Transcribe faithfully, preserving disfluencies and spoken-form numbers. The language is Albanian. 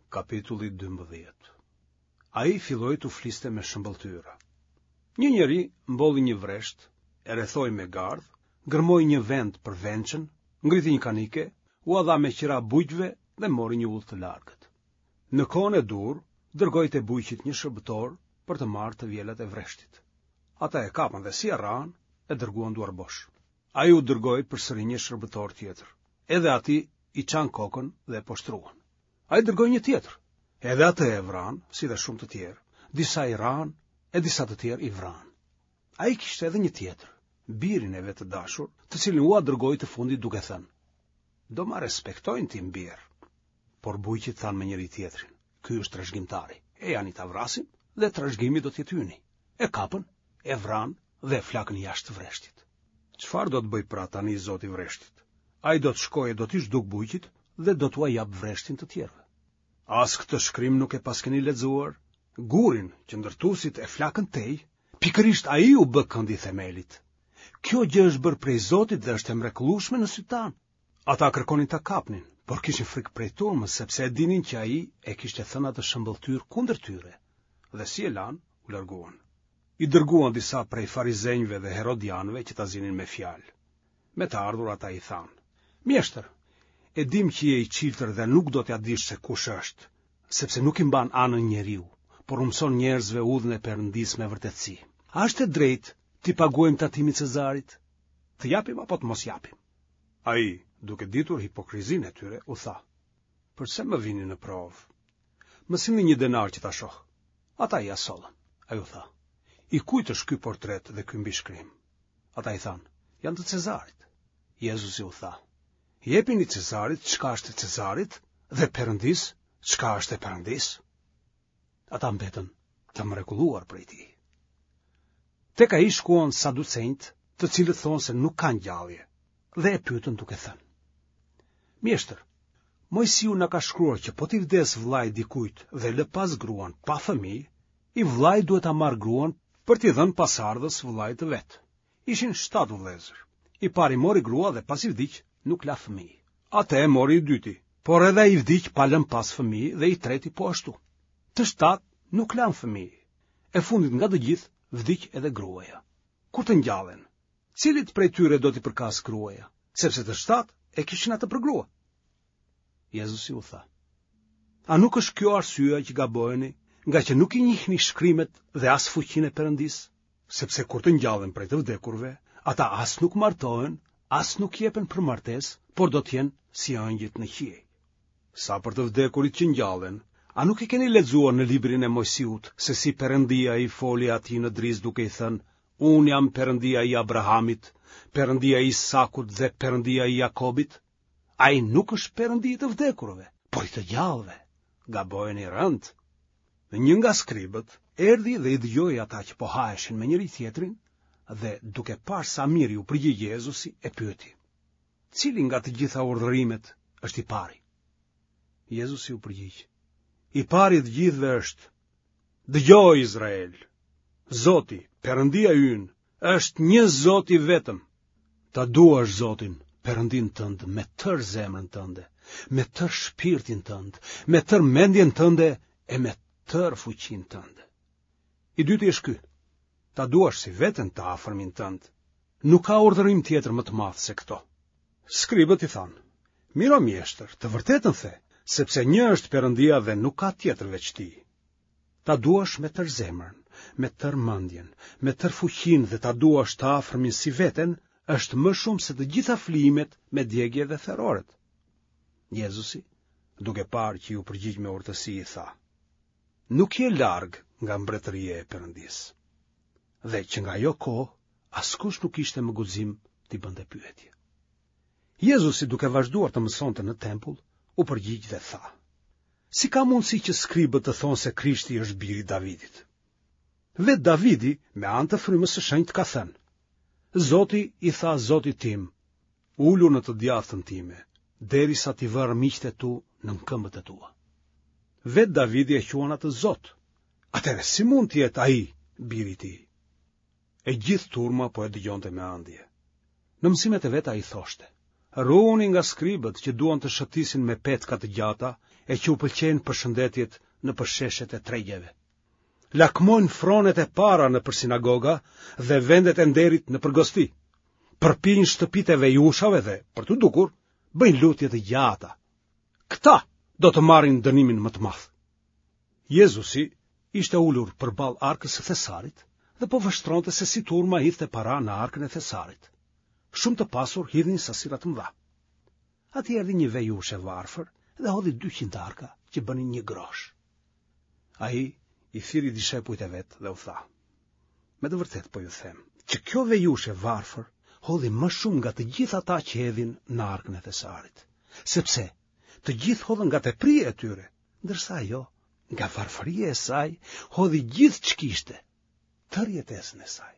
Kapitulli dymbëdhjetë. Ai filloi t'u fliste me shëmbëlltyra. Një njeri mbolli një vresht, e rrethoi me gardh, gërmoi një vend për vençën, ngriti një kanike, ua dha me qira bujqve dhe mori një udhë të largët. Në kohën e duhur, dërgoi te bujqit një shërbëtor për të marrë të vjelat e vreshtit. Ata e kapën dhe si e rrahën, e dërguan duarbosh. Ai u dërgoi përsëri një shërbëtor tjetër. Edhe atij i çanë kokën dhe e poshtëruan. Ai dërgoi një tjetër. Edhe atë e vranë, si dhe shumë të tjerë. Disa i rrahën e disa të tjerë i vranë. Ai kishte edhe një tjetër, birin e vet të dashur, të cilin ua dërgoi të fundit duke thënë: Do ma respektojnë tim bir. Por bujqit thanë me njëri-tjetrin: Ky është trashëgimtari. Ejani ta vrasim dhe trashëgimi do të jetë yni. E kapën, e vranë dhe e flakën jashtë vreshtit. Çfarë do të bëjë pra tani zoti i vreshtit? Ai do të shkojë e do t'i zhdukë bujqit dhe do t'ua japë vreshtin të tjerëve. As këtë shkrim nuk e paskeni lexuar? Gurin që ndërtuesit e flakën tej, pikërisht ai u bë këndi i themelit. Kjo gjë është bërë prej Zotit dhe është e mrekullueshme në sytë tanë. Ata kërkonin ta kapnin, por kishin frikë prej turmës, sepse e dinin që ai e kishte thënë atë shëmbëlltyrë kundër tyre. Dhe si e lanë, u larguan. I dërguan disa prej farizenjve dhe herodianëve që ta zinin me fjalë. Me të ardhur ata i thanë: Mjeshtër, e dimë që je i çiltër dhe nuk do t'ia dish se kush është, sepse nuk i mban anën njeriu, por u mëson njerëzve udhën e Perëndisë me vërtetësi. A është e drejtë t'i paguajmë tatimin Cezarit? Të japim apo të mos japim? Ai, duke ditur hipokrizinë e tyre, u tha: Përse më vini në provë? Më sillni një denar që ta shoh. Ata ia sollën. Ai u tha: I kujt është ky portret dhe ky mbishkrim? Ata i thanë: Janë të Cezarit. Jezusi u tha: Jepini Cezarit çka është e Cezarit dhe Perëndisë çka është e Perëndisë. Ata mbetën të mrekulluar prej tij. Tek ai shkuan saducenjtë, të cilët thonë se nuk ka ngjallje, dhe e pyetën duke thënë: Mjeshtër, Moisiu na ka shkruar që po t'i vdesë vëllai dikujt dhe lë pas gruan pa fëmijë, i vëllai duhet ta marrë gruan për t'i dhënë pasardhës vëllait të vet. Ishin shtatë vëllezër. I pari mori grua dhe pasi vdiq, nuk la fëmijë. Atë e mori i dyti, por edhe ai vdiq pa lënë pas fëmijë dhe i treti po ashtu. Të shtatë nuk lanë fëmijë. E fundit nga të gjithë vdiq edhe gruaja. Kur të ngjallen, cilit prej tyre do t'i përkasë gruaja, sepse të shtatë e kishin atë për grua? Jezusi u tha: A nuk është kjo arsyeja që gaboheni, ngaqë nuk i njihni shkrimet dhe as fuqinë e Perëndisë? Sepse kur të ngjallen prej të vdekurve, ata as nuk martohen, as nuk jepen për martesë, por do të jenë si engjëjt në qiej. Sa për të vdekurit që ngjallen, a nuk e keni lexuar në librin e Moisiut se si Perëndia i foli atij në drizë duke i thënë: Unë jam Perëndia i Abrahamit, Perëndia i Isakut dhe Perëndia i Jakobit? Ai nuk është Perëndi i të vdekurve, por i të gjallëve. Gaboheni rëndë. Dhe një nga skribët erdhi dhe i dëgjoi ata që po haheshin me njëri-tjetrin dhe duke parë sa mirë iu përgjigj Jezusi e pyeti: Cili nga të gjitha urdhërimet është i pari? Jezusi u përgjigj: I pari i të gjithëve është: Dëgjo Izrael, Zoti, Perëndia ynë, është një Zot i vetëm. Ta duash Zotin, Perëndinë tënd me tërë zemrën tënde, me tërë shpirtin tënd, me tërë mendjen tënde e me tërë fuqinë tënde. I dyti është ky: ta duash si veten të afërmin tënd. Nuk ka urdhërim tjetër më të madh se këto. Skribët i thanë: Mirë o mjeshtër, të vërtetën the, sepse një është Perëndia dhe nuk ka tjetër veç tij. Ta duash me tërë zemrën, me tërë mendjen, me tërë fuqinë dhe ta duash të afërmin si veten, është më shumë se të gjitha flijimet me djegie dhe theroret. Jezusi, duke parë që iu përgjigj me urtësi, i tha: Nuk je larg nga mbretëria e Perëndisë. Dhe që nga ajo kohë, askush nuk kishte më guxim t'i bënte pyetje. Jezusi, duke vazhduar të mësonte në tempull, u përgjigj dhe tha: Si ka mundësi që skribët të thonë se Krishti është biri i Davidit? Vetë Davidi, me anë të frymës së shenjtë, ka thënë: Zoti i tha Zotit tim, ulu në të djathtën time, derisa t'i vë armiqtë e tu nën këmbët e tua. Vetë Davidi e quan atë Zot. Atëherë si mund të jetë ai biri i tij? E gjithë turma po e dëgjonte me ëndje. Në mësimet e veta ai thoshte: Ruhuni nga skribët që duan të shëtisin me petka të gjata e që u pëlqejnë përshëndetjet nëpër sheshet e tregjeve. Lakmojnë fronet e para nëpër sinagoga dhe vendet e nderit nëpër gosti. Përpijnë shtëpitë e vejushave dhe, për t'u dukur, bëjnë lutje të gjata. Këta do të marrin dënimin më të madh. Jezusi ishte ulur përballë arkës së thesarit dhe po vështronte se si turma hidhte para në arkën e thesarit. Shumë të pasur hidhnin sasira të mëdha. Aty erdhi një vejushë e varfër dhe hodhi dy qindarka që bënin një grosh. Ai i thirri dishepujt e vet dhe u tha: Me të vërtetë po ju them, që kjo vejushë e varfër hodhi më shumë nga të gjithë ata që hedhin në arkën e thesarit, sepse të gjithë hodhën nga tepria e tyre, ndërsa ajo nga varfëria e saj hodhi gjithë ç'kishte, tërë jetesën e saj.